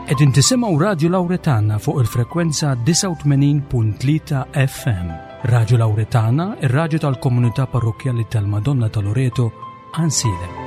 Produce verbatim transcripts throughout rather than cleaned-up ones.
Qegħdin tisimgħu Radju Lawretana fuq il-frekwenza disgħa u tmenin punt tlieta F M. Radju Lawretana, ir-radju tal-komunità parrokkjali tal-Madonna ta' Loreto, Għajnsielem.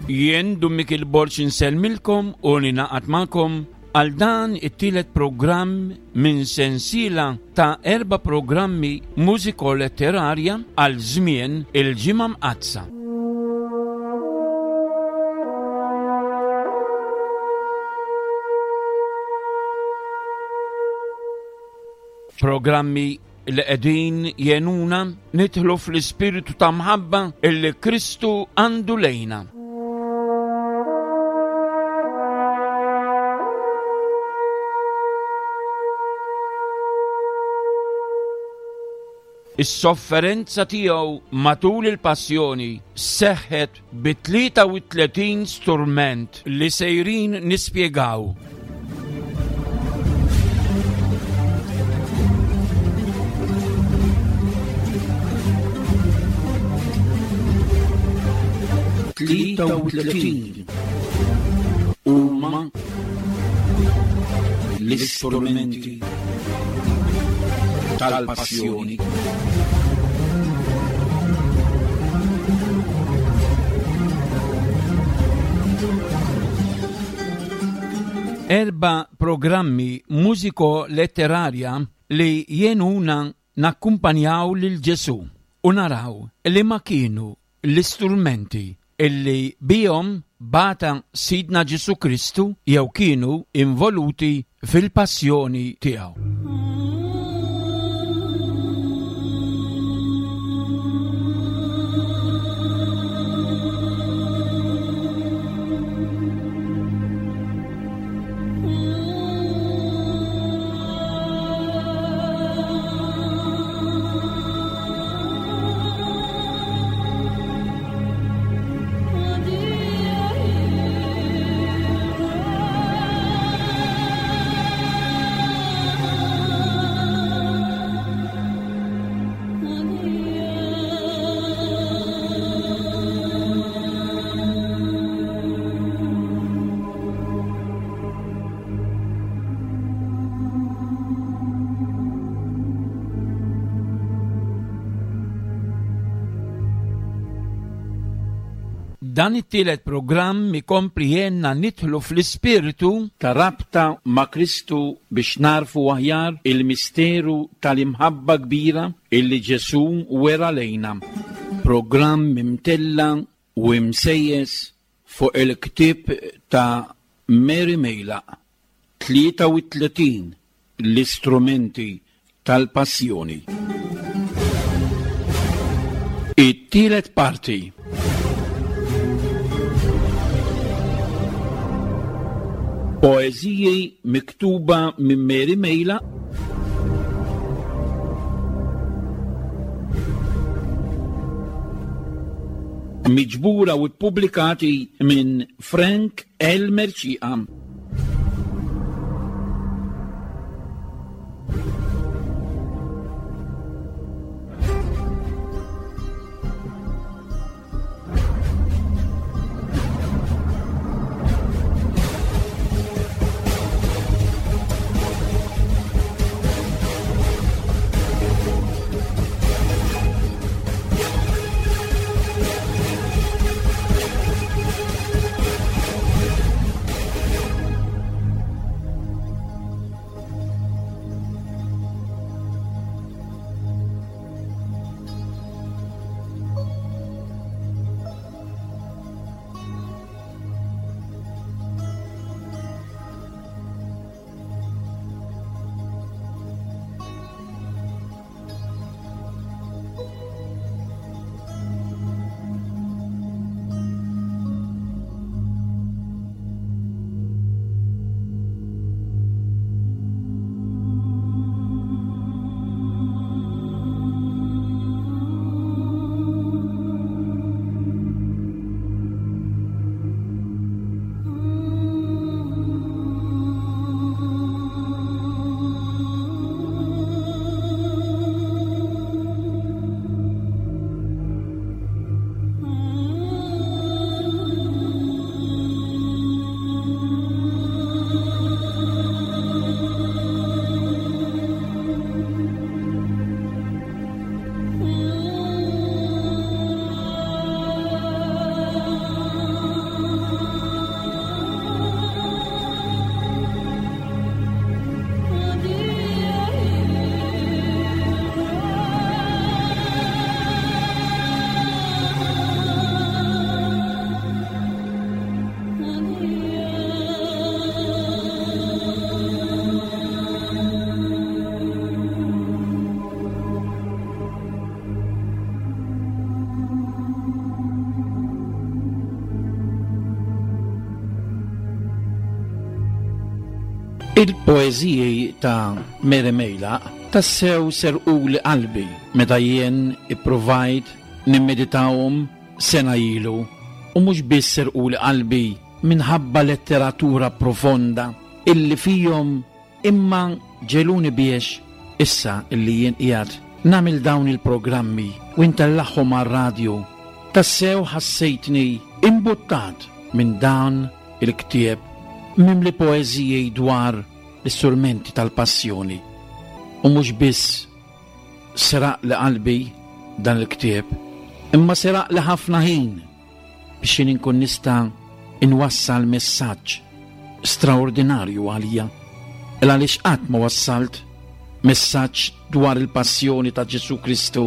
Jien Dun Mikiel Borg insellmilkom u ninaqat magħkom għal dan it-tielet programm minn sensiela ta' erba' programmi mużiko-letterarja għal żmien il-Ġimgħa Mqaddsa. Programmi li qegħdin jenuna nidħlu fl-ispiritu ta' mħabba illi Kristu għandu lejna. Is-sofferenza tiegħu matul il-passjoni seħħet bi tlieta u tletin sturment li sejrin nispjegaw. Tlieta u tletin huma l-istrumenti tal-passjoni. Erba' programmi mużiko-letterarja li jenuna nakkumpanjaw lil Ġesu u naraw li ma kienu l-istrumenti illi bihom bata Sidna Ġesu Kristu jew kienu involuti fil-passjoni tiegħu. Dan it-tielet programm ikompli jenna nidħlu fl-ispiritu ta' rabta ma' Kristu biex narfu aħjar il-misteru tal-imħabba kbira illi Ġesu wera lejna. Programm imtella u imsejjes fuq il-ktieb ta' Mary Meilaq, tlieta u tletin l-istrumenti tal-passjoni. It-tielet parti. Poeżiji miktuba minn Mary Meilaq miġbura u ppubblikati minn Frank L. Mercieca. Il-poeżiji ta' Mary Mejlaq tassew serquli qalbi meta jien ippruvajt nimmeditahom sena ilu, u mhux biss serquli qalbi minħabba letteratura profonda illi fihom, imma ġegħluni biex issa illi jien qiegħed nagħmel dawn il-programmi u ntellagħhom għar-radju, tassew ħassejtni imbuttat minn dan il-ktieb mimli poeżiji dwar l-istrumenti tal-passjoni. U mhux biss seraq li qalbi dan il-ktieb, imma seraq li ħafna ħin biex jien inkun nista' inwassal messaġġ straordinarju għalija. Il għaliex qatt ma wassalt messaġġ dwar il-passjoni ta' Ġesù Kristu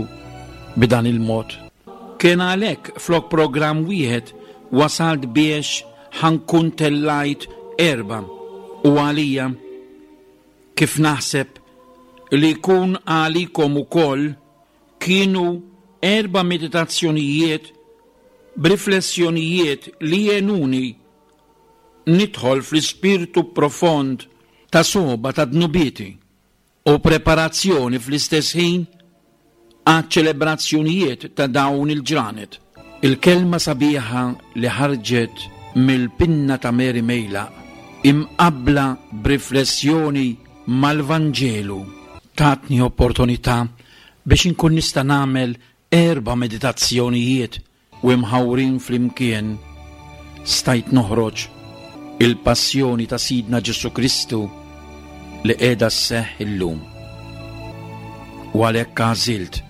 b'dan il-mod. Kien għalhekk flok programm wieħed wasalt biex ħa nkun tellajt erba', u għalija kif naħseb li jkun għalikom ukoll kienu erba' meditazzjonijiet b'riflessjonijiet li għenuni nidħol fl-ispirtu profond ta' soba ta' dnubieti u preparazzjoni fl-istess ħin għad ċelebrazzjonijiet ta' dawn il-ġranet. Il-kelma sabiħa li ħarġet mill-pinna ta' Mary Mejlaq imqabbla b'riflessjoni mal-Vanġelu tatni opportunità biex inkun nista' nagħmel erba' meditazzjonijiet u imħawrin flimkien stajt noħroġ il-passjoni ta' Sidna Ġesù Kristu li qiegħda sseħħ illum. U għalhekk għażilt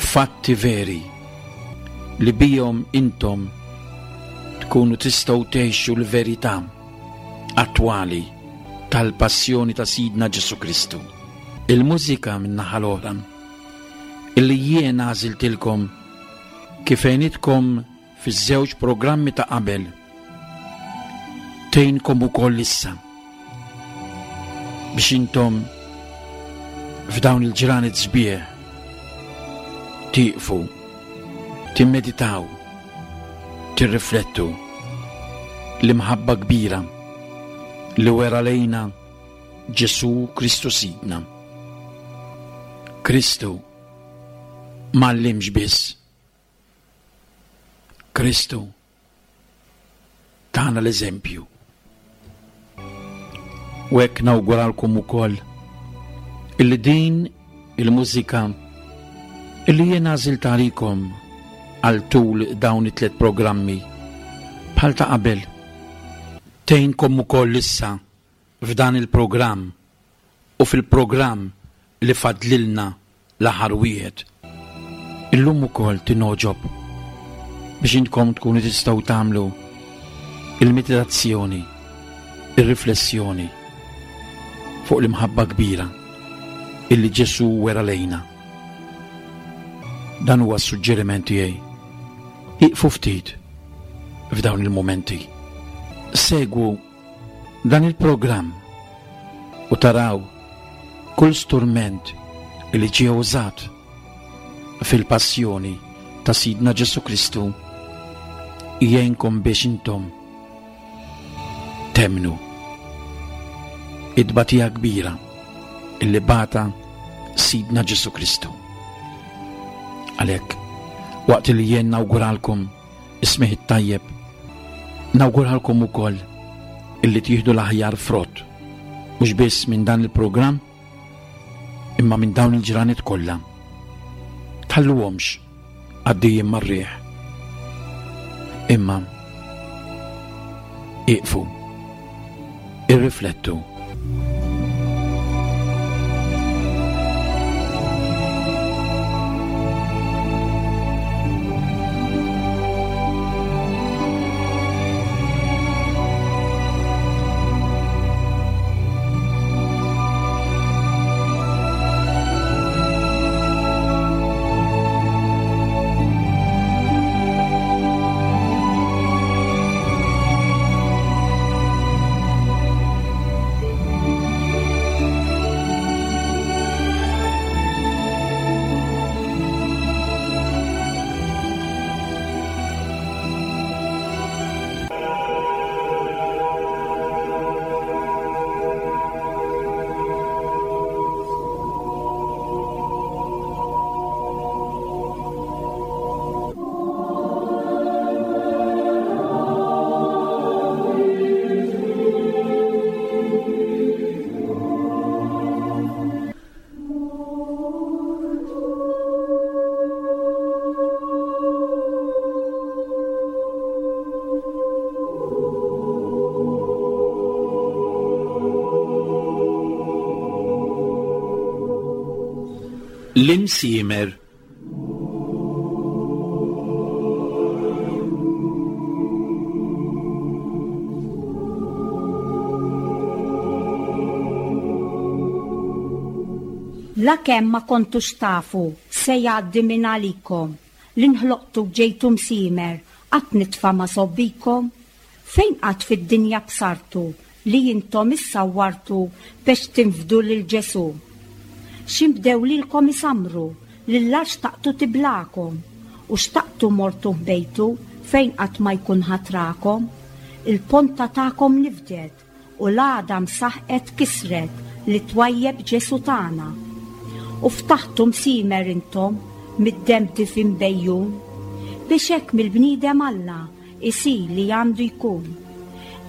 fatti veri li bihom intom tkunu tistgħu tgħixu l-verità attwali tal-passjoni ta' Sidna Ġesù Kristu. Il-mużika min-naħa l-oħra illi jien għażiltilkom kif għenitkom fiż-żewġ programmi ta' qabel tgħinkom ukoll issa biex intom f'dawn il-ġranet sbieħ tieqfu, timmeditaw, tirriflettu l-imħabba kbira li wera lejna Ġesù Kristu Sidna. Kristu m'għallimx biss, Kristu tana l-eżempju. U hekk nawguralkom ukoll illi din il-mużika illi jien għażilt għalikom għal tul dawn it-tliet programmi bħal ta' qabel tgħinkom ukoll issa f'dan il-programm u fil-programm li fadlilna l-aħħar wieħed. Illum ukoll tinogħġob biex intkom tkunu tistgħu tagħmlu il-meditazzjoni, ir-riflessjoni fuq l-imħabba kbira illi Ġesù wera lejna. Dan huwa s-suġġeriment tiegħi. Iqfu ftit f'dawn il-mumenti. Segwu dan il-programm u taraw kull strument li ġie użat fil-passjoni ta' Sidna Ġesù Kristu jgħinkom biex intom temmnu it-tbatija kbira illi bata Sidna Ġesù Kristu. Għalhekk, waqt li jien nawguralkom is-smigħ it-tajjeb, nawguralkom ukoll illi tieħdu l-aħjar frott, mhux biss minn dan il-programm, imma minn dawn il-ġranet kollha. Tħalluhomx għaddejjin mar-riħ, imma iqfu, irriflettu. L-imsiemer. La kemm ma kontux tafu se jgħaddi minn għalikom, li nħloqtu ġejtu msiemer, qatt nitfa' ma sobbikom, fejn qatt fid-dinja bsartu li intom issawwartu biex tinfdu lil Ġesù. X'inbdew lilkom isamru, lil-lar xtaqtu tiblakom, u xtaqtu mortu ħbejtu fejn qatt ma jkun ħatrakom, il-ponta tagħkom nifdet u l-għadam saħqet kisret li twajjeb Ġesù tagħna. U ftaħtu msiemer intom mid-demm difin bejjun, biex hekk mill-bniedem Alla isir li għandu jkun.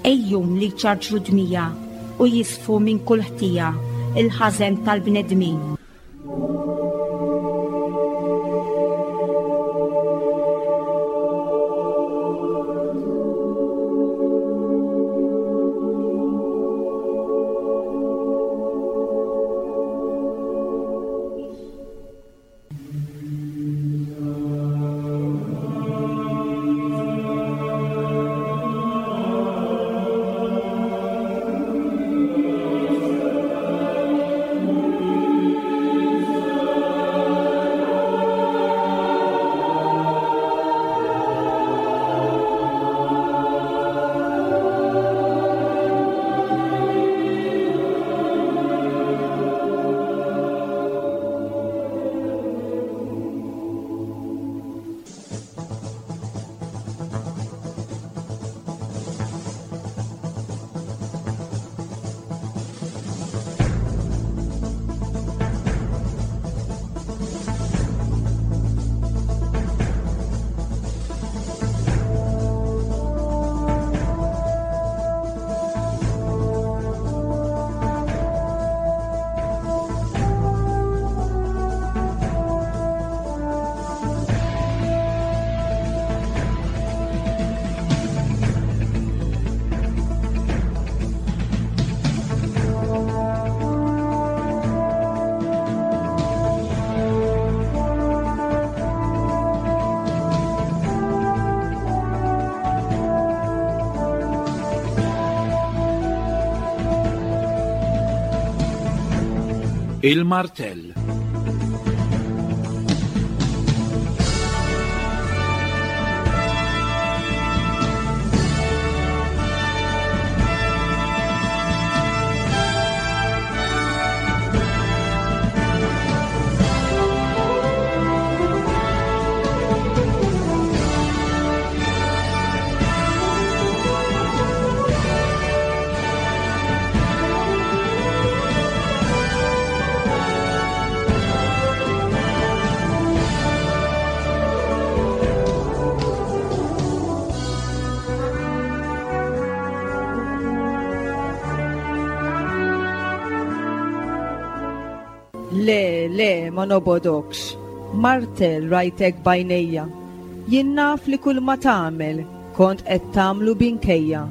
Ejjun li ċarġru dmija u jisfu minn kull ħtija il-ħażen tal-bnedmin. Il-martell. Le, le, ma nobodokx. Martell rajtek bajnejja. Jien naf li kull ma tagħmel kont qed tagħmlu binkejja.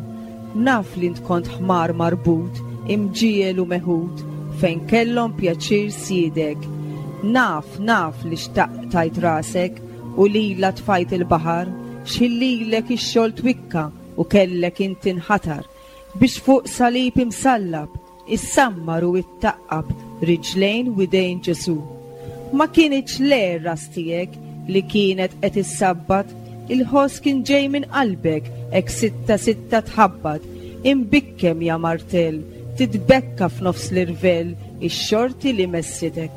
Naf li int kont ħmar marbut, imġiel u meħud, fejn kellhom pjaċir siedek. Naf, naf li xtaqt tajt rasek u lila tfajt il-baħar, x'ħillilek ix-xogħol twikka u kellek inti nħatar biex fuq salib imsallab issammar u ittaqqab riġlejn u idejn Ġesù. Ma kienx le ras tiegħek li kienet qed issabbat, il-ħoss kien ġej minn qalbek hekk sitta sitta tħabbat, imbikkem ja martell, titbekka f'nofs l-irvell ix-xorti li messitek.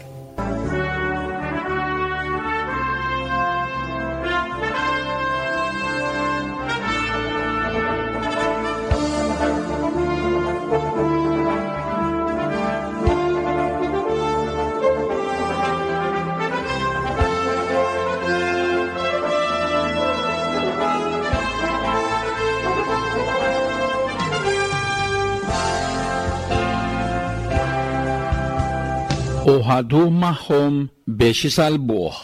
U ħadu magħhom biex isalbuh.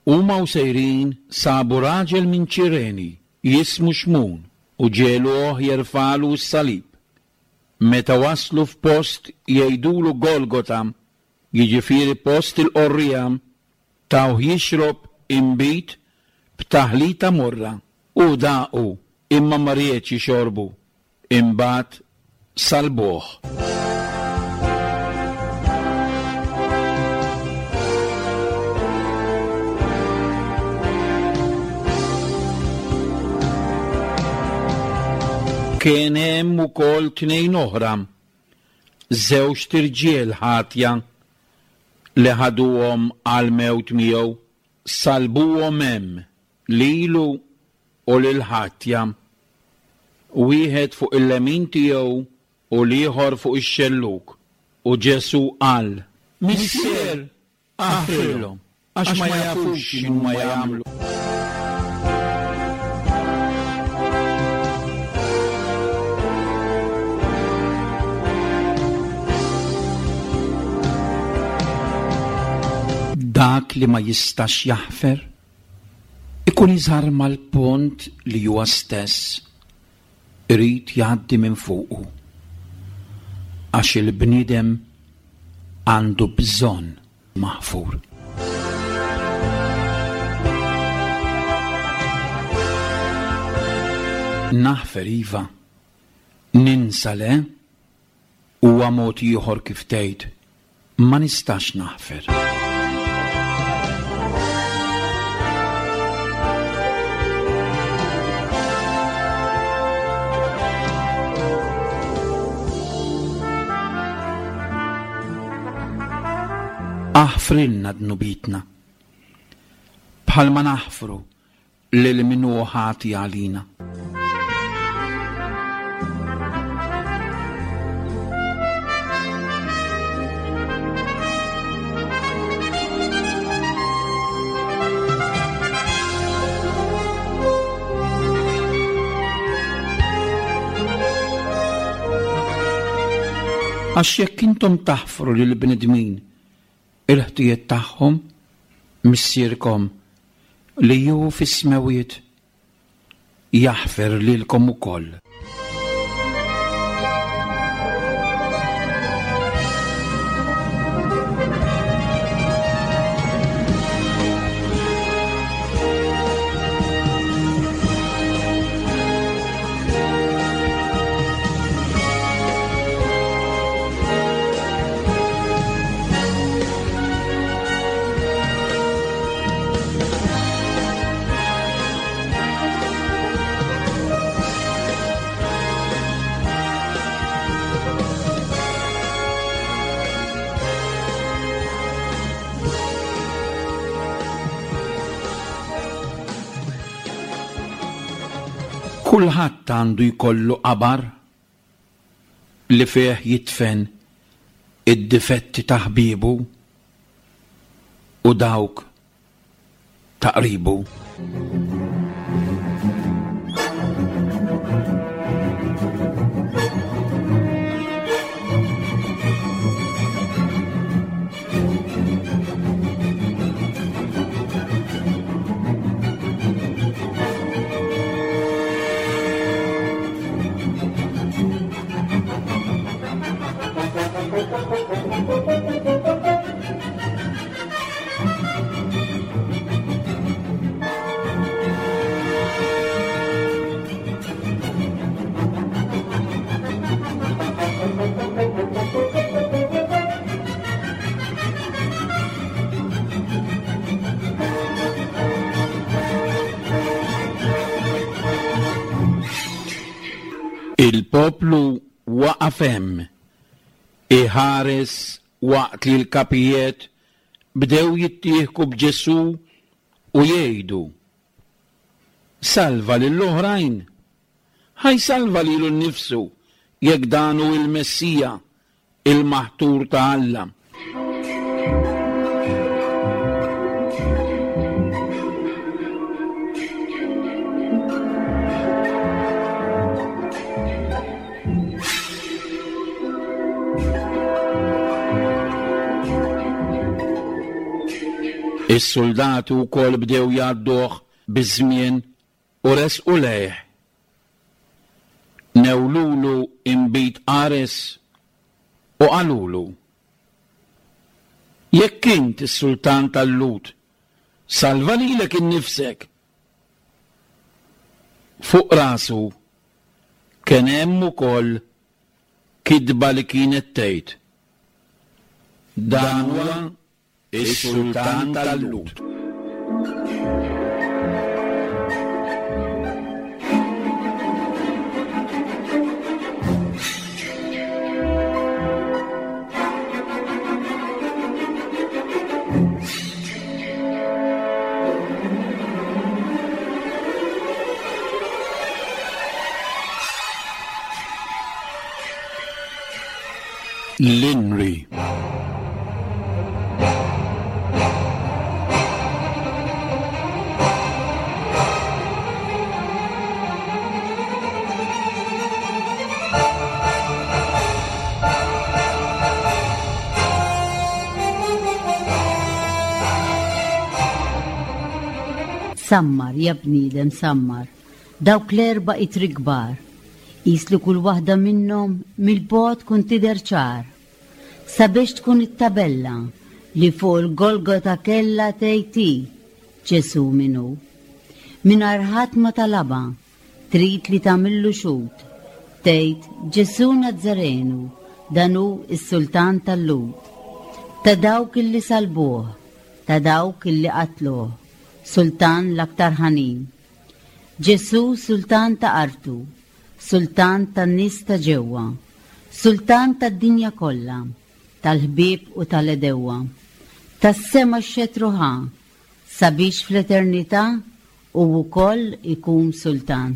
Huma u sejrin sabu raġel minn Ċireni jismu Xmun u ġeluh jerfalu s-salib. Meta waslu f'post jgħidulu Golgota, jiġifieri post il-qorrija, Tawh jixrob inbid b'taħlita morra u daqu imma ma riedx jixorbu. Imbagħad salbuh. Kien hemm ukoll tnejn oħra, żewġt irġiel ħatja li ħaduhom għall-mewt miegħu, salbuhom hemm lilu u lil ħatja, wieħed fuq il-lemin tiegħu u l-ieħor fuq ix-xellug. U Ġesù qal: Missier, aħfrilhom, għax ma jafux x'inhuma jagħmlu. Dak li ma jistax jaħfer ikun iżarma l-pont li huwa stess irid jgħaddi minn fuqu, għax il-bniedem għandu bżonn maħfur. Naħfer iva, ninsa le, huwa mod ieħor kif tgħid ma nistax naħfer. Aħfrilna dnubitna, bħalma naħfru lil min hu ħati għalina. Għax jekk intom taħfru lil bnedmin il-ħtijiet tagħhom, Missierkom li hu fis-smewwiet jaħfer lilkom ukoll. Kulħadd għandu jkollu qabar li fih jitfen id-difetti ta' ħbiebu u dawk ta' qribu. Il-poplu waqaf hemm iħares waqt li l-kapijiet bdew jittieħku b'Ġesù u jgħidu: Salva lill-oħrajn, ħa jsalva lilu nnifsu jekk dan hu il-Messija, il-maħtur ta' Alla. Is-soldati wkoll bdew jgħadduh biż-żmien u resqu lejh. Newlulu inbid qares u qalulu: Jekk int is-sultan tal-Lhud, Salva lilek innifsek. Fuq rasu kien hemm ukoll kitba li kienet tgħid: Dan huwa is-sultan tal-Lhud. L-Inri. Sammar, ja bniedem, sammar, dawk l-erba' itri kbar, qis li kull waħda minnhom mill-bogħod tkun tidher ċar. Sabiex tkun it-tabella li fuq il-Golgota kellha tgħid hi Ġesù min hu. Mingħajr ħadd ma talabha, trid li tagħmillu xhud, tgħid Ġesù Nazzarenu, dan hu s-sultan tal-Lhud. Ta' dawk illi salbuh, ta' dawk illi qatluh, sultan l-aktar ħanin. Ġesù sultan ta' artu, sultan tan-nies ta' ġewwa, sultan tad-dinja kollha, tal-ħbieb u tal-edewwa. Tas-sema x-xetru ħa, sabiex fl-eternità u wkoll ikun sultan.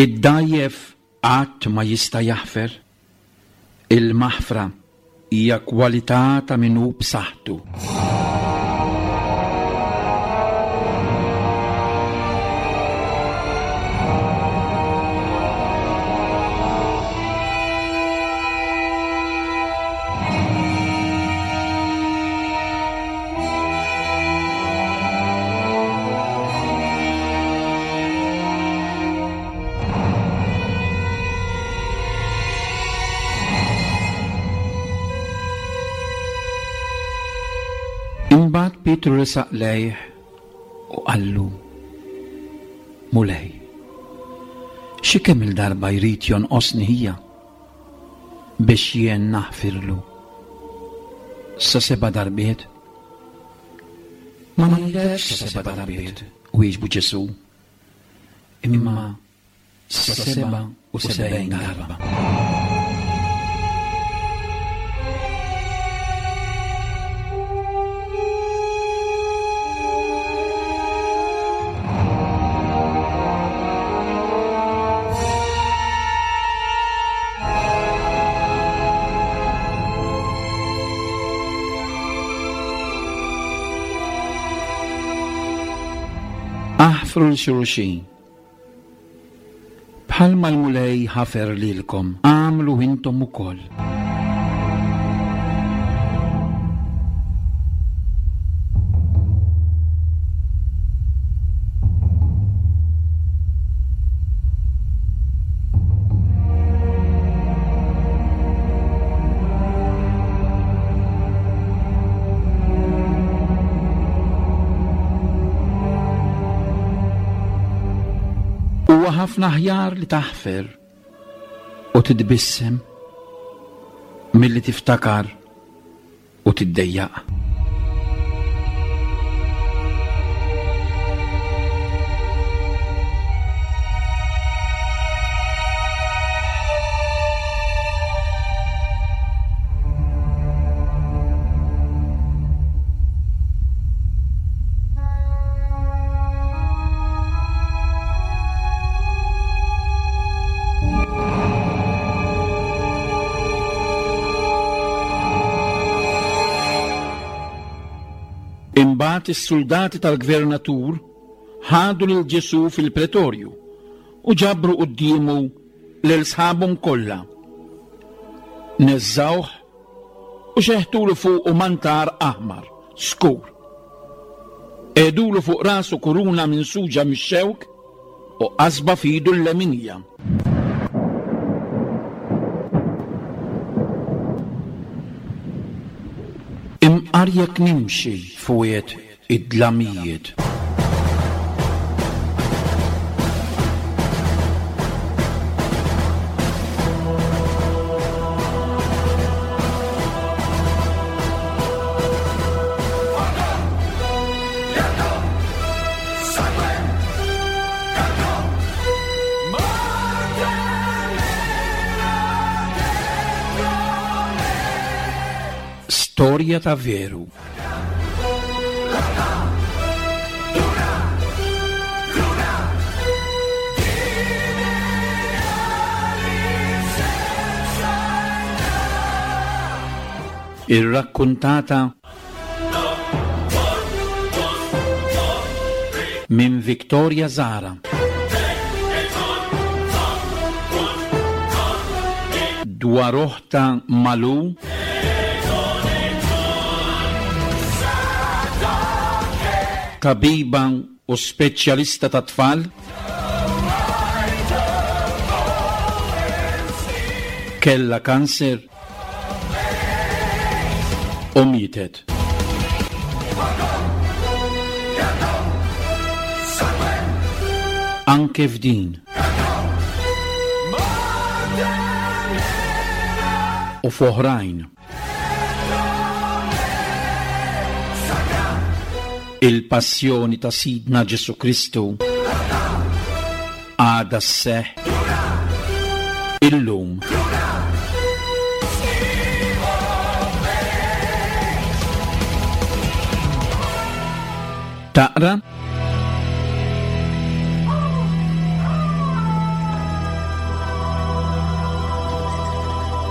Id-dajjef qatt ma jista' jaħfer. Il-maħfra hija kwalità ta' min hu b'saħħtu. Imbagħad Pietru resaq lejh u qallu: Mulej, xi kemm il-darba jrid jonqosni ħija biex jien naħfirlu? Sa seba' darbiet? Ma ngħidlekx sa seba' darbiet, wieġbu Ġesù, imma sa seba' u sebgħin darba. Aħfru lil xulxin. Bħalma l-Mulej ħafer lilkom, għamlu intom ukoll. Huwa ħafna aħjar li taħfer u titbissem milli tiftakar u tiddejjaq. Imbagħad is-soldati tal-gvernatur ħadu lil Ġesù fil-pretorju u ġabru quddiemu lil sħabhom kollha. Neżżawh u xeħtulu fuqu mantar aħmar, skur. Qegħdulu fuq rasu kuruna minsuġa mix-xewk u qasba f'idu l-leminija. Imqar jekk nimxi fuq id-dlamijiet. Storja ta' veru. Irrakkuntata minn Victoria Zara. Dwar oħta Malu tabiba u speċjalista ta' tfal kella kanser u mietet. Anke f'din u f'oħrajn. Il-passjoni ta' Sidna Ġesù Kristu għadha sseħħ illum. Taqra?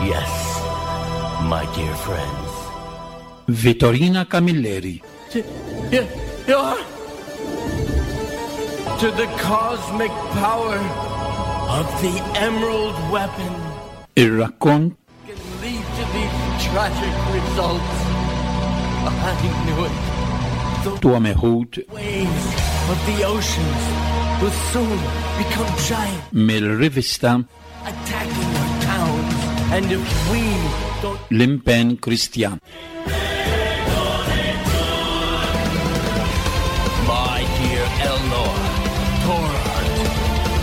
Yes, my dear friends. Vittorina Camilleri. To, yeah, yeah. To the cosmic power of the Emerald Weapon. Ir-rakkont can lead to these tragic results. I knew it. The tuwa meħud waves of the oceans will soon become giant, mill-rivista attacking our towns. And if we don't L-Impenn Kristjan. My dear Elnor, Torhart,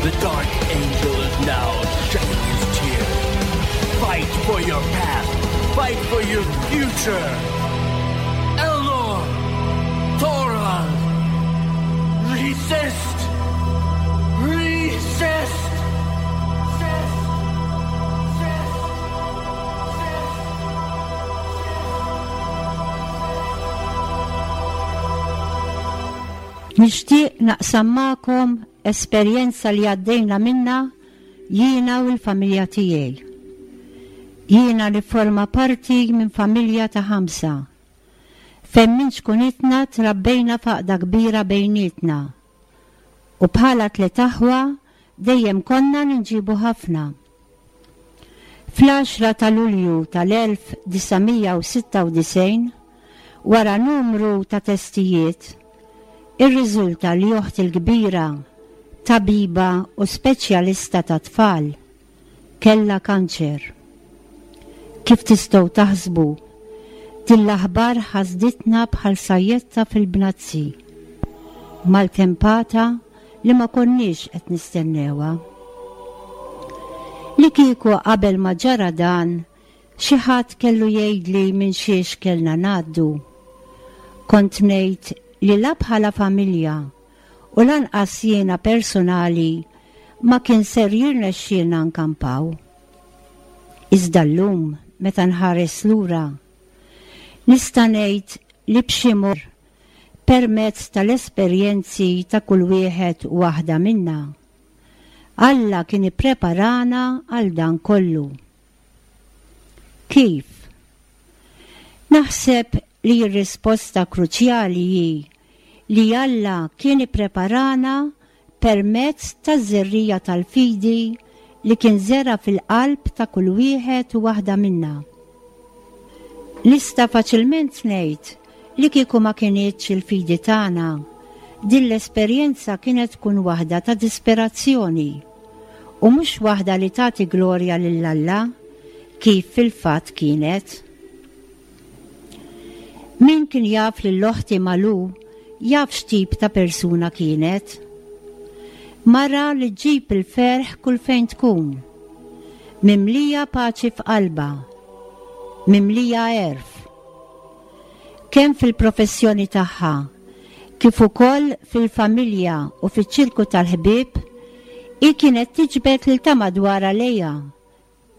the Dark Angel is now shedding his tears. Fight for your past. Fight for your future. Elnor, Torhart, resist. Resist. Nixtieq naqsam magħkom esperjenza li għaddejna minna jiena u l-familja tiegħi. Jiena nifforma parti minn familja ta' ħamsa. Fejn minn xkunitna trabbejna faqda kbira bejnietna. U bħala tliet aħwa dejjem konna ninġibu ħafna. Fl-għaxra ta' Lulju tal-elf disa' mija u sitta u disgħin, wara numru ta' testijiet, irriżulta li oħti l-kbira, tabiba u speċjalista ta' tfal, kella kanċer. Kif tistgħu taħsbu, din l-aħbar ħasditna bħal sajjetta fil-bnazzi, maltempata li ma konniex qed nistennewha. Li kieku qabel ma ġara dan, xi ħadd kellu jgħidli minn xiex kellna ngħaddu. Kont ngħid li la bħala familja u lanqas jiena personali ma kien ser jirnexxielna nkampaw. Iżda llum meta nħares lura, nista' ngħid li b'xi mod permezz tal-esperjenzi ta' kull wieħed u waħda minna, Alla kien ippreparana għal dan kollu. Kif? Naħseb li r-risposta kruċjali hi li Alla kien ippreparana permezz taż-żerriegħa tal-fidi li kien żera' fil-qalb ta' kull wieħed u waħda minna. Nista' faċilment ngħid li kieku ma kinitx il-fidi tagħna, din l-esperjenza kienet tkun waħda ta' disperazzjoni u mhux waħda li tagħti glorja lil Alla kif fil-fatt kienet. Min kien jaf lil oħti Malu jaf x'tip ta' persuna kienet. Mara li ġġib il-ferħ kull fejn tkun. Mimlija paċi f'qalba, mimlija għerf. Kemm fil-professjoni tagħha, kif ukoll fil-familja u fiċ-ċirku tal-ħbieb, hi kienet tiġbed lil ta' madwarha lejha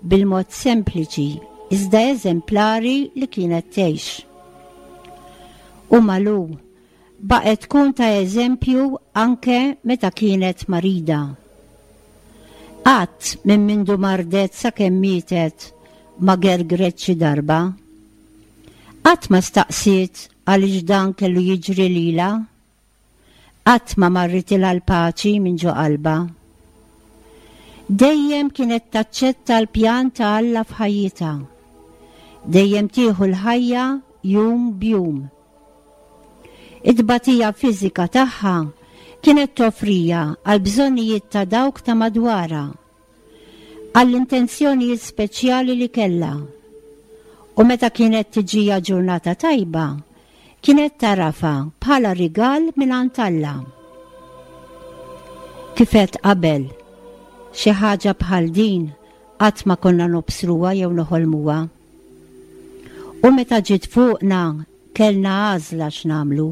bil-mod sempliċi iżda eżemplari li kienet tgħix. U Malu baqgħet tkun ta' eżempju anke meta kienet marida. Qatt minn mindu mardet sakemm mietet ma gergret xi darba. Qatt ma staqsiet għaliex dan kellu jiġri lilha. Qatt ma marritilha l-paċi minn ġo qalbha. Dejjem kienet taċċetta l-pjan ta' Alla f'ħajjitha. Dejjem tieħu l-ħajja jum b'jum. It-tbatija fiżika tagħha kienet toffriha għal bżonnijiet ta' dawk ta' madwarha, għall-intenzjonijiet speċjali li kellha. U meta kienet tiġiha ġurnata tajba, kienet tagħrafha bħala rigal minn Alla. Kif għedt qabel, xi ħaġa bħal din qatt ma konna nobsruha jew noħolmuha. U meta ġiet fuqna kellna għażla x'nagħmlu.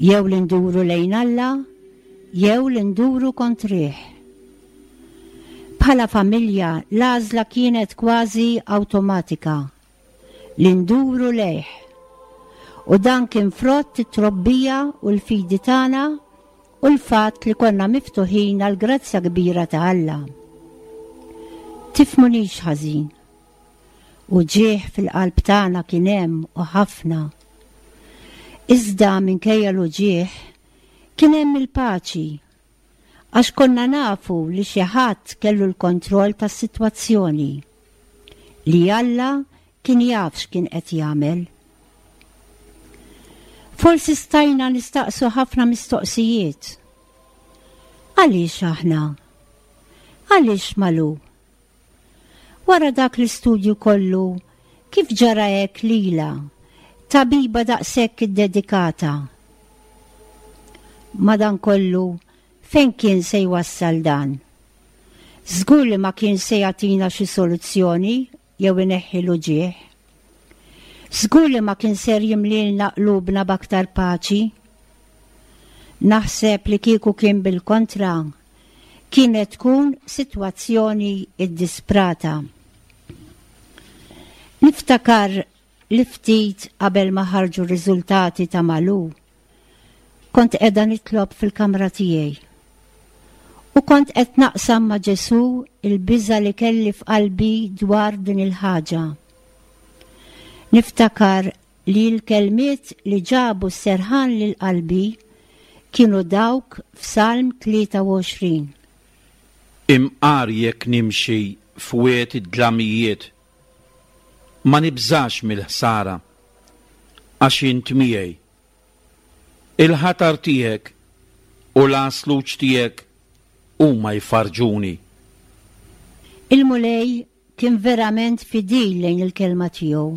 Jew li nduru lejn Alla, jew li nduru kontrih. Bħala familja l-għażla kienet kważi awtomatika, li nduru lejh. U dan kien frott it-trobbija u l-fidi tagħna u l-fatt li konna miftuħin għal grazzja kbira ta' Alla. Tifhmunix ħażin. Uġigħ fil-qalb tagħna kien hemm u ħafna. Iżda minkejja l-uġigħ kien hemm il-paċi għax konna nafu li xi ħadd kellu l-kontroll tas-sitwazzjoni, li Alla kien jaf x'kien qed jagħmel. Forsi stajna nistaqsu ħafna mistoqsijiet. Għaliex aħna? Għaliex Malu? Wara dak l-istudju kollu, kif ġara hekk lilha, tabiba daqshekk iddedikata? Madankollu, fejn kien se jwassal dan? Żgur li ma kien se jagħtina xi soluzzjoni jew ineħħi l-uġigħ. Żgur li ma kien ser jimlilna qlubna b'aktar paċi. Naħseb li kieku kien bil-kontra, kienet tkun sitwazzjoni iddisprata. Niftakar li ftit qabel ma ħarġu r-riżultati ta' Malu, kont qiegħda nitlob fil-kamra tiegħi. U kont qed naqsam ma' Ġesu il-biża li kelli f'qalbi dwar din il-ħaġa. Niftakar li l-kelmiet li ġabu s-serħan lil qalbi kienu dawk f'Salm tlieta u għoxrin. Imqar jekk nimxi f'wied id-dlamijiet, ma nibżax mill-ħsara, għax int miegħi. Il-ħatar tiegħek u l-għasluġ tiegħek huma jfarġuni. Il-Mulej kien verament fidil lejn il-kelma tiegħu.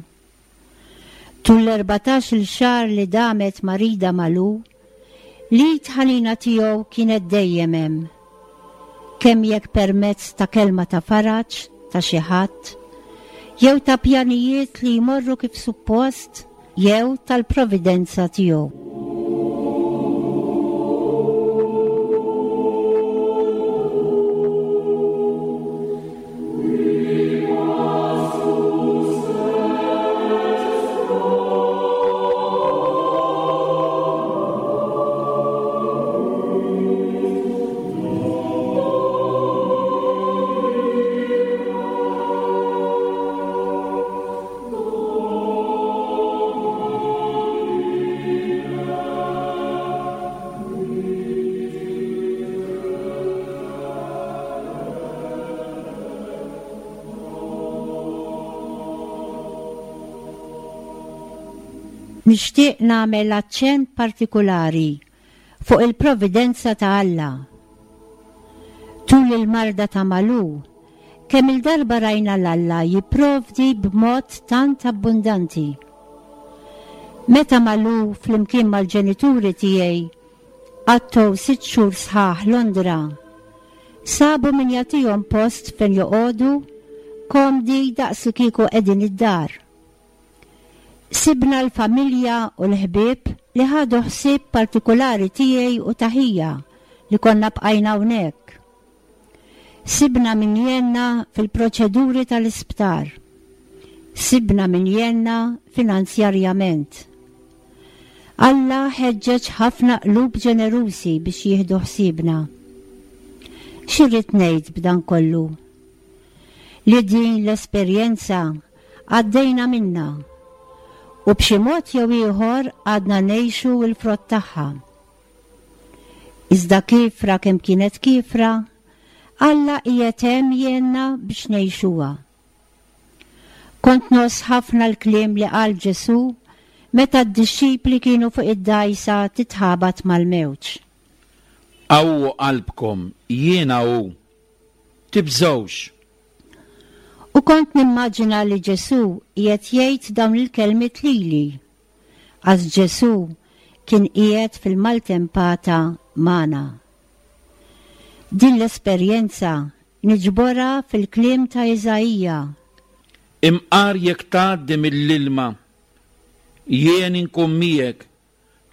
Tul l-erbatax-il xahar li damet marida Malu, l-id ħanina tiegħu kienet dejjem hemm. Kemm jekk permezz ta' kelma ta' faraġ ta' xi ħadd, jew ta' pjanijiet li jmorru kif suppost, jew tal-providenza tiegħu. Nixtieq nagħmel aċċent partikulari fuq il-providenza ta' Alla. Tul il-marda ta' Malu, kemm il-darba rajna l-Alla jipprovdi b'mod tant abbundanti. Meta Malu flimkien mal-ġenituri tiegħi għattew sitt xhur sħaħ Londra, sabu min jagħtihom post fejn joqogħdu komdi daqs li kieku qegħdin id-dar. Sibna l-familja u l-ħbieb li ħadu ħsieb partikolari tiegħi u taħija li konna bqajna hawnhekk. Sibna min jenna fil-proċeduri tal-isptar. Sibna min jenna finanzjarjament. Alla ħeġġeġ ħafna qlub ġenerusi biex jieħdu ħsiebna. X'irrid ngħid b'dan kollu? Li din l-esperjenza għaddejna minna u b'xi mod jew ieħor għadna ngħixu l-frott tagħha. Iżda kifra kemm kienet kifra, Alla qiegħed hemm jgħinna biex ngħixuha. Kont ngħożż ħafna l-kliem li qal Ġesù meta d-dixxipli kienu fuq id-dgħajsa titħabat mal-mewġ. Qawwu qalbkom, jiena hu. Tibżgħux. U kont nimmaġina li Ġesù qiegħed jgħid dawn il-kelmiet lili, għax Ġesù kien qiegħed fil-maltempata magħna. Din l-esperjenza niġborha fil-kliem ta' Iżaija. Imqar jekk tgħaddi mill-ilma, jien inkun miegħek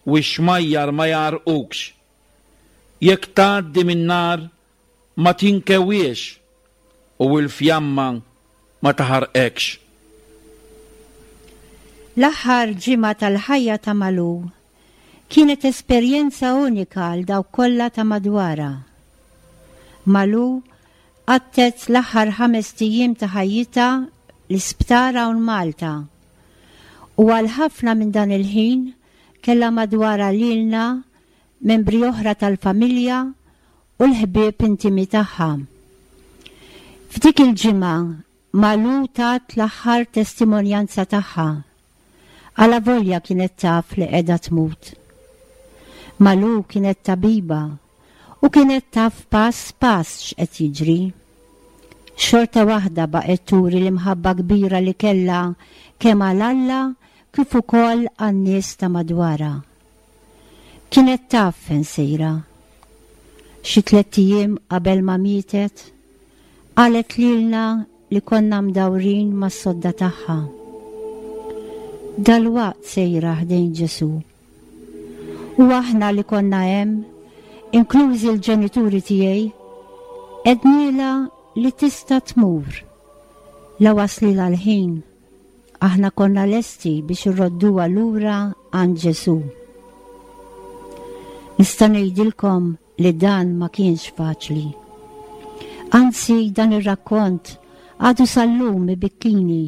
u x-xmajjar ma jgħarrqukx. Jekk tgħaddi min-nar ma tinkewiex u l-fjamma ma taħarqekx. L-aħħar ġimgħa tal-ħajja ta' Malu kienet esperjenza unika għal dawk kollha ta' madwarha. Malu għaddiet l-aħħar ħames ijiem ta' ħajjitha l-isptar hawn Malta u għal ħafna minn dan il-ħin kellha madwarha lilna membri oħra tal-familja u l-ħbieb intimi tagħha. F'dik il-ġimgħa Malu tat l-aħħar testimonjanza tagħha. Alavolja kienet taf li qiegħda tmut. Malu kienet tabiba u kienet taf pass pass x'qed jiġri. Xorta waħda baqgħet turi l-imħabba kbira li kellha kemm għal Alla kif ukoll għan-nies ta' madwarha. Kienet taf fejn sejra. Xi tliet ijiem qabel ma mietet, qalet lilna li konna mdawrin mas-sodda tagħha. Dalwaqt sejra ħdejn Ġesù. U aħna li konna hemm, inklużi l-ġenituri tiegħi, għednielha li tista' tmur. La waslilha l-ħin, aħna konna lesti biex irrodduha lura għand Ġesù. Nista' ngħidilkom li dan ma kienx faċli. Anzi, dan ir-rakkont għadu sal-lum ibikkini.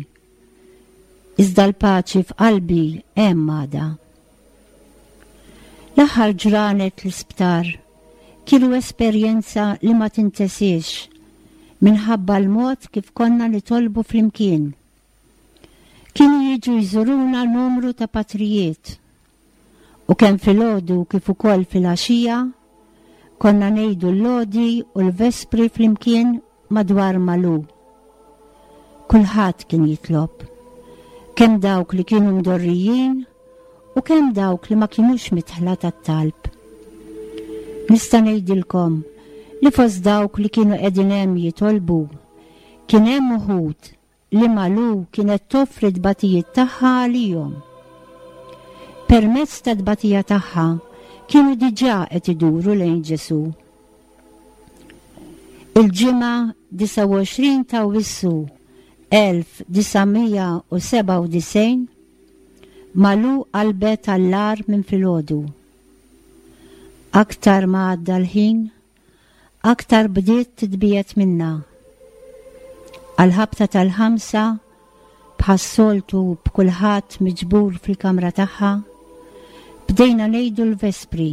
Iżda l-paċi f'qalbi hemm għadha. L-aħħar ġranet l-isptar kienu esperjenza li ma tintesiex minħabba l-mod kif konna nitolbu flimkien. Kienu jiġu jżuruna numru ta' patrijiet u kemm filgħodu kif ukoll filgħaxija konna ngħidu l-lodi u l-vespri flimkien madwar Malu. Kulħadd kien jitlob, kemm dawk li kienu mdorrijin u kemm dawk li ma kienux midħla tat-talb. Nista' ngħidilkom li fost dawk li kienu qegħdin hemm jitolbu kien hemm uħud li Malu kienet toffri tbatijiet tagħha għalihom. Permezz ta' tbatija tagħha kienu diġà qed iduru lejn Ġesù. Il-ġimgħa disgħa u għoxrin ta' Awwissu elf disa' mija u sebgħa u disgħin Malu qalbet għall-agħar minn filgħodu. Aktar ma għadda l-ħin, aktar bdiet titbiegħed minna. Għal-ħabta tal-ħamsa, bħas-soltu b'kulħadd miġbur fil-kamra tagħha, bdejna ngħidu l-vespri.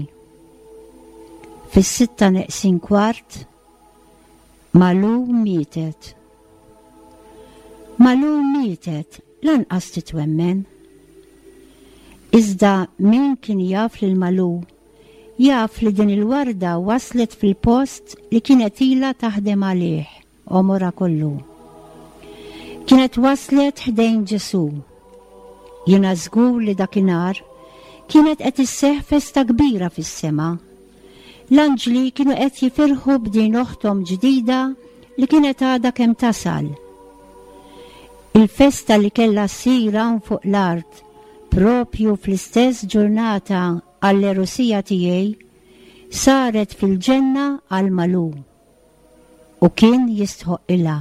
Fis-sitta neqsin kwart, Malu mietet. Malu mietet, lanqas titwemmen. Iżda min kien jaf lil Malu, jaf li din il-warda waslet fil-post li kienet ilha taħdem għalih għomorha kollu. Kienet waslet ħdejn Ġesù. Jiena żgur li dakinhar kienet qed isseħħ festa kbira fis-sema. L-anġli kienu qed jifirħu b'din oħthom ġdida li kienet għadha kemm tasal. Il-festa li kellha ssir hawn fuq l-art propju fl-istess ġurnata għall-erusija tiegħi saret fil-ġenna għal Malu u kien jistħoqilha.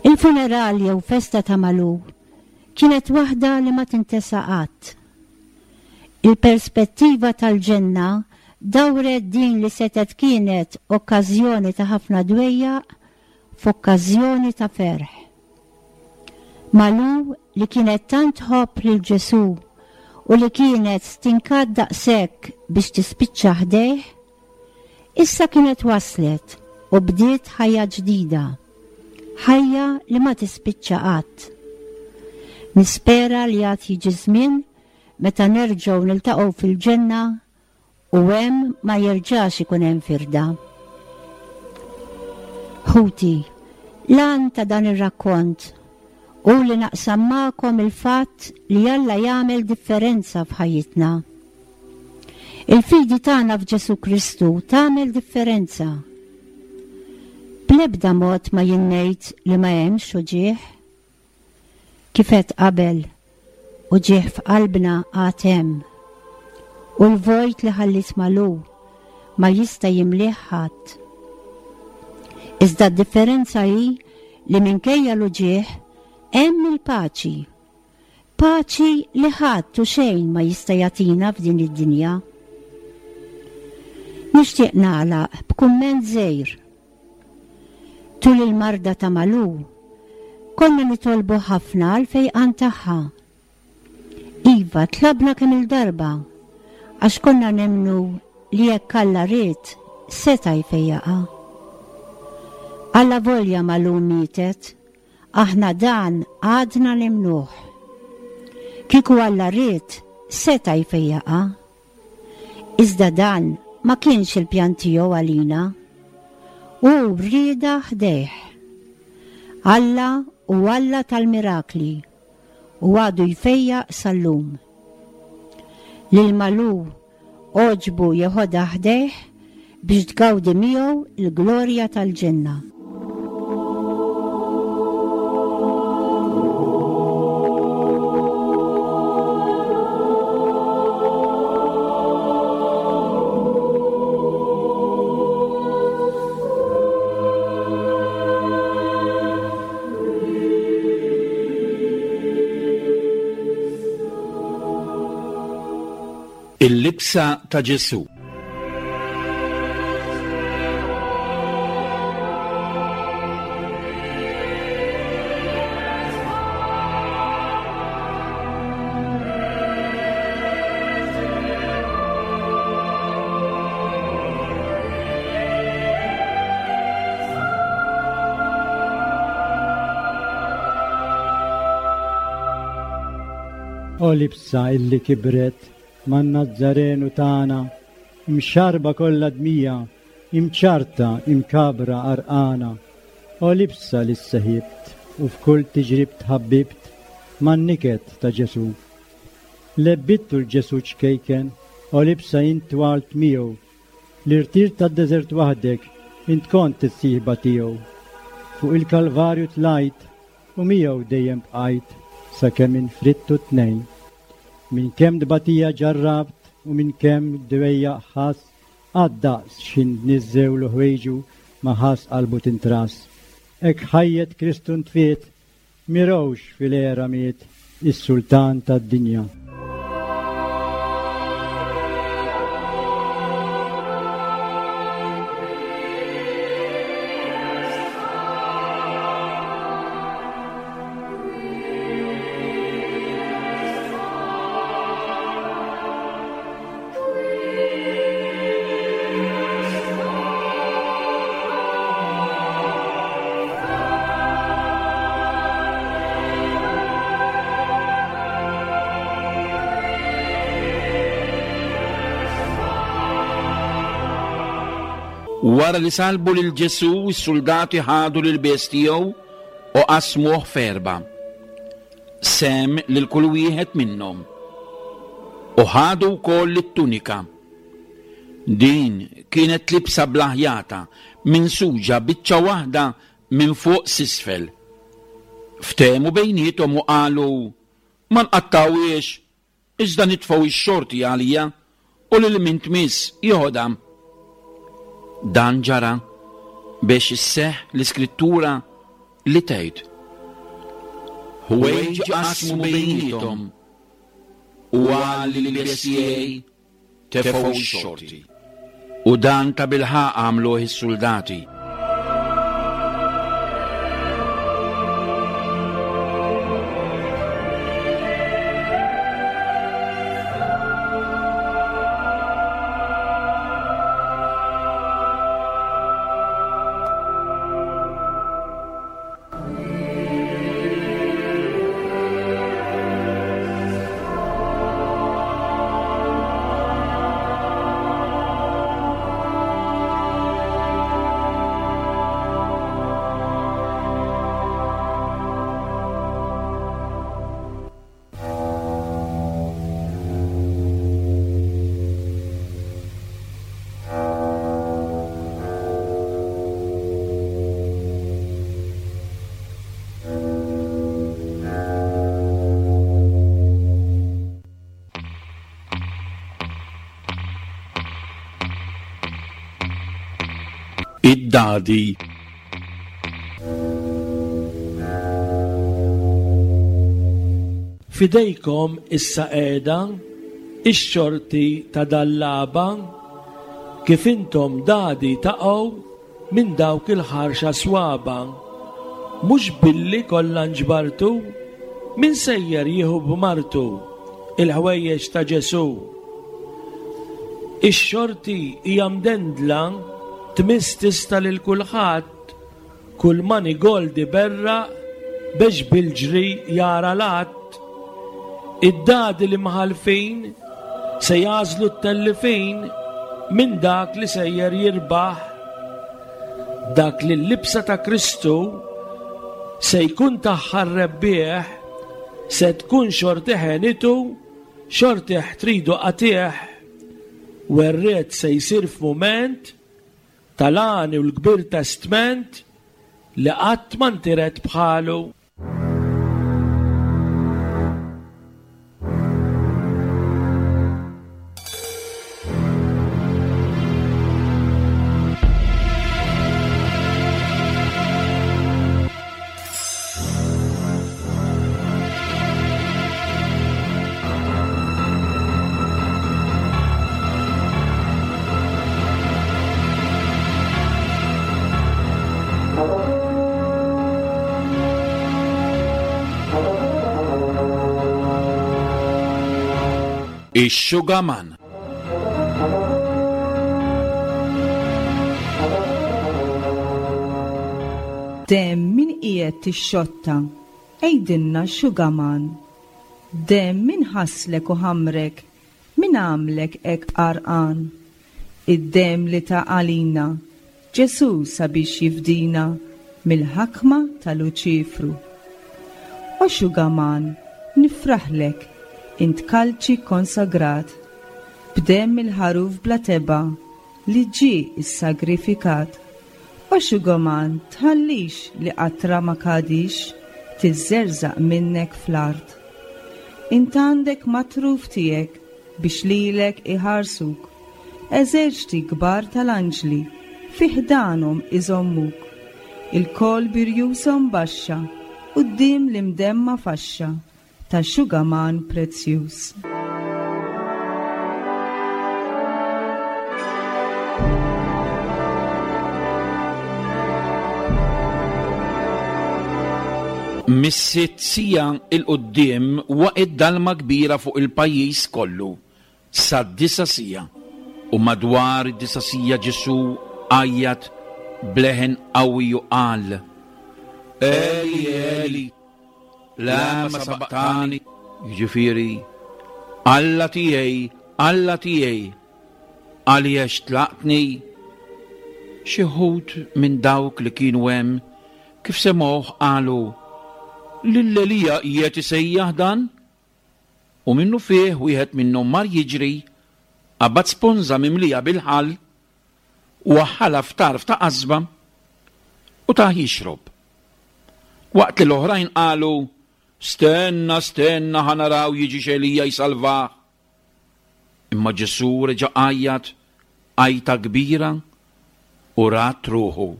Il-funeral jew festa ta' Malu kienet waħda li ma tintesa qatt. Il-perspettiva tal-ġenna dawret din li setet kienet okkażjoni ta' ħafna dwejjaq f'okkażjoni ta' ferħ. Malu li kienet tant tħobb lil Ġesù u li kienet stinkat daqshekk biex tispiċċa ħdejh, issa kienet waslet u bdiet ħajja ġdida, ħajja li ma tispiċċa qatt. Nispera li għad jiġi żmien meta nerġgħu niltaqgħu fil-ġenna u hemm ma jerġax ikun hemm firda. Ħuti, l-għan ta' dan ir-rakkont u li naqsam magħkom il-fatt li Alla jagħmel differenza f'ħajjitna. Il-fidi tagħna f'Ġesù Kristu tagħmel differenza. Bl-ebda mod ma jien ngħid li ma hemmx uġigħ. Kif għedt qabel, uġigħ f'qalbna għad hemm. U l-vojt li ħallit Malu ma jista' jimlih ħadd. Iżda d-differenza hi li minkejja l-uġigħ hemm il-paċi. Paċi li ħadd u xejn ma jista' jagħtina f'din id-dinja. Nixtieq nagħlaq b'kumment żgħir. Tul il-marda ta' Malu, konna nitolbu ħafna għal fejqan tagħha. Iva, tlabna kemm il-darba, għax konna nemmnu li jekk Alla ried, seta' jfejjaqha. Alla volja Malu mietet, aħna dan għadna nemmnuh. Kieku Alla ried, seta' jfejjaqha. Iżda dan ma kienx il-pjan tiegħu għalina. U rieda ħdejh. Alla u Alla tal-mirakli u għadu jfejjaq sal-lum. Lil Malu għoġbu jeħodha ħdejh biex tgawdi miegħu l-glorja tal-ġenna. Il-libsa ta' Ġesù. O libsa illi kibret man-Nazzarenu tagħna, imxarba kollha dmija, imċarta, imkabra arqana. O libsa li sseħibt u f'kull tiġrib tħabbibt man-niket ta' Ġesù. Lebbittu l-Ġesù ċkejken, o libsa intwalt miegħu, L-irtir tad-deżert waħdek int kont is-sieħba tiegħu. Fuq il-Kalvarju tlajt u miegħu dejjem bqajt sakemm infrittu tnejn. Minn kemm tbatija ġarrabt u minn kemm dwejjaq ħass, qatt daqs x'ħin niżżewlu ħwejġu ma ħass qalbu tintrass. Hekk ħajjet Kristu ntfiet, mirawx fil-għera miet, is-sultan tad-dinja. Wara li salbu lil Ġesù, is-suldati ħadu l-ilbies tiegħu u qasmuh f'erba'. Sehem lil kull wieħed minnhom. U ħadu wkoll it-tunika. Din kienet libsa bla ħjata, minsuġa biċċa waħda minn fuq s'isfel. Ftehmu bejniethom u qalu, Ma nqattgħuhiex, iżda nitfgħu x-xorti għalija u lil min tmiss jeħodha. Dan ġara biex isseħħ l-iskrittura li tgħid, Ħwejġ qasmu bejniethom u għal l-ilbies tiegħi tefgħu x-xorti. U dan tabilħaqq għamluh is-suldati. Id-dadi. Fidejkom issa qiegħda ix-xorti ta' dal-lagħba, kif intom dadi taqgħu minn dawk il-ħarxa swaba. Mhux billi kollha nġbartu, min sejjer jieħu b'martu il-ħwejjeġ ta' Ġesù. Ix-xorti hija mdendla tmiss tista' lil kulħadd, kull manigold iberraq biex bil-ġri jara l-att. Id-dadi li mħalfin se jażlu t-tellifin minn dak li sejjer jirbaħ. Dak li l-libsa ta' Kristu se jkun tagħha r-rebbieħ, se tkun xorti ħenitu, xorti tridu qatih. Werriet se jsir f'mument tal-għani u l-kbir testment li qatt ma ntiret bħalu. Ix-Xugaman. Demm min qiegħed tixxotta, għidilna Xugaman. Demm min ħaslek u ħamrek, min għamlek hekk għarqan. Id-demm li ta' għalina, Ġesù sabiex jifdina mill-ħakma ta' Luċifru. O Xugaman, nifraħlek, int kalċi konsagrat, b'demm il-ħaruf bla tebgħa li ġie issagrifikat. O xugaman, tħallix li qatra ma kadix tiżżerżaq minnek fl-art. Int għandek matruf tiegħek biex lilek iħarsuk, eżerċti kbar tal-anġli fi ħdanhom iżommuk, ilkoll birjushom baxxa quddiem l-imdemma faxxa ta' xugaman prezzjuż. Mis-sitt siegħa 'l quddiem waqgħet dalma kbira fuq il-pajjiż kollu sad-disa' siegħa. U madwar id-disa' siegħa Ġesù għajjat b'leħen qawwi u qal: Eli, Eli, lama sabaqtani? Jiġifieri, Alla tiegħi, Alla tiegħi, għaliex tlaqtni? Xi wħud minn dawk li kienu hemm kif semgħuh qalu: Lil Elija qiegħed isejjaħ dan? U minnu fih wieħed minnhom mar jiġri, qabad sponża mimlija bil-ħall u waħħalha f'tarf ta' qasba u tah jixrob. Waqt li l-oħrajn qalu: Stenna, stenna, ħa naraw jiġix Elija jsalvah. Imma Ġesù reġa' għajjat għajta kbira u rat ruħu.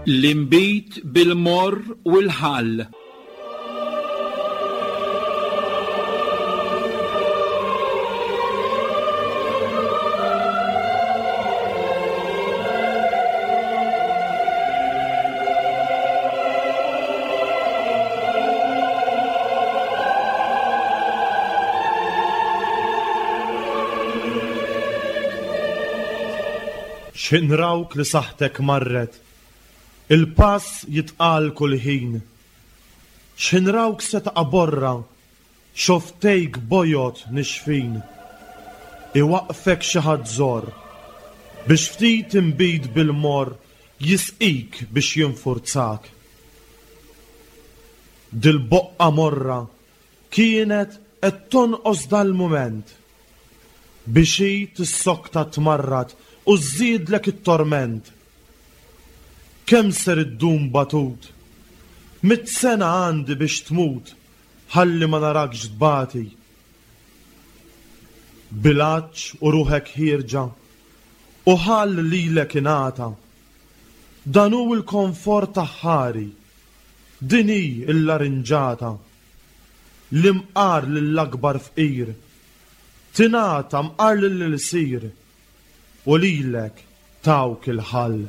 L-inbid bil-morr u l-ħall. X'inrawk li saħħtek marret, il-pass jitqal kull ħin. X'inrawk se taqa' borra, xoftejk bojod nixfin. Iwaqfek xi ħadd żor, biex ftit inbid bil-mor jisqik biex jinfurzak. Dil-boqqa morra kienet qed tonqos dal-mument, biex hi tissokta tmarrad u żżidlek it-torment. Kemm ser iddum batut? Mitt sena għandi biex tmut, ħalli ma narakx tbati. Bil-għatx u ruħek ħierġa, u ħall lilek ingħata. Dan hu l-komfort aħħari, din hi l-larinġata. L-imqar lill-akbar fqir, tingħata mqar lill-ilsir, u lilek tawk il-ħall.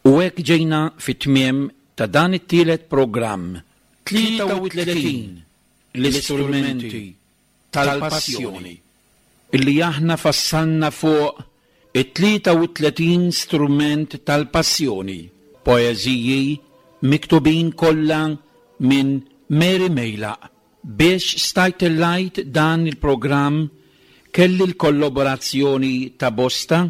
U hekk ġejna fit-tmiem ta' dan it-tielet programm, tlieta u tletin l-istrumenti tal-passjoni, illi aħna fassalna fuq it-tlieta u tletin strument tal-passjoni, poeżiji miktubin kollha minn Mary Mejlaq. Biex stajt tellajt dan il-programm kelli l-kollaborazzjoni ta' bosta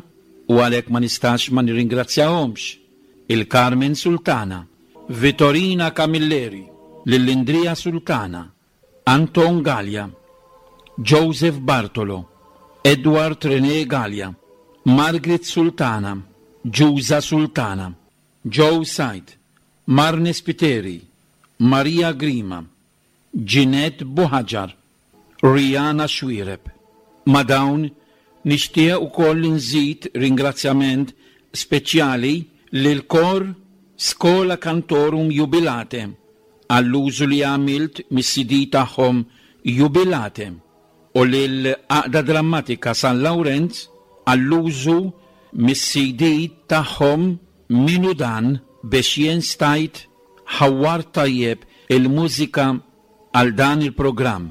u għalhekk ma nistax ma nirringrazzjahomx. Il-Carmen Sultana, Vittorina Camilleri, Lillindria Sultana, Anton Gallia, Joseph Bartolo, Edward René Gallia, Margaret Sultana, Giusa Sultana, Joe Said, Marne Spiteri, Maria Grima, Ginette Buhaġar, Rihanna Xuereb. Ma dawn nixtieq ukoll nżid ringrazzjament speċjali lil kor Schola Cantorum Jubilate għall-użu li għamilt mis-C D tagħhom Jubilate u lil Għaqda Drammatika San Lawrenz għall-użu mis-C D tagħhom Minu Dan biex jien stajt ħawwar tajjeb il-mużika għal dan il-programm.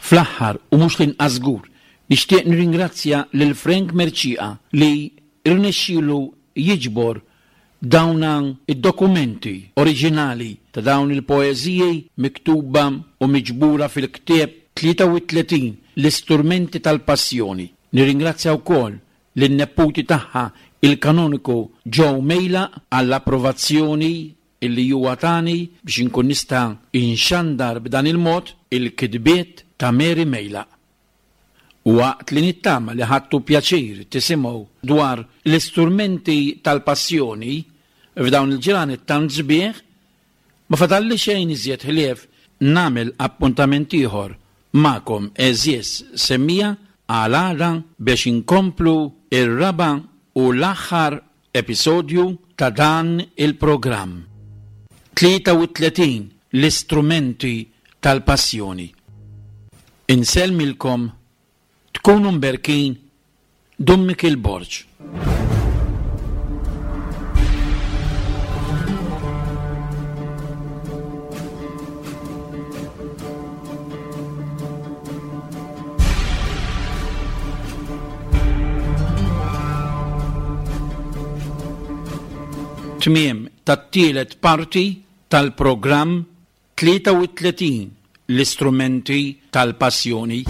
Fl-aħħar u mhux l-inqas żgur, nixtieq nirringrazzja lil Frank Mercieca li rnexxielu jiġbor dawn id-dokumenti oriġinali ta' dawn il-poeżiji miktuba u miġbura fil-ktieb tlieta u tletin l-istrumenti tal-passjoni. Nirringrazzja wkoll lin-neputi tagħha il-kanoniku Joe Mejlaq għall-approvazzjoni illi huwa tani biex inkun nista' inxandar b'dan il-mod il-kitbiet ta' Mary Mejlaq. Waqt li nittama li ħadtu pjaċir tisimgħu dwar l-istrumenti tal-passjoni f'dawn il-ġranet tant sbieħ, ma fadalli xejn iżjed ħlief nagħmel appuntament ieħor magħkom għeżież semmija għal għada biex inkomplu ir-raba' u l-aħħar episodju ta' dan il-programm. Tlieta u tletin l-istrumenti tal-passjoni. Insellmilkom, tkunu mberkin, Dun Mikiel Borg. Tmiem tat-tielet parti tal-programm tlieta u tletin l-istrumenti tal-passjoni.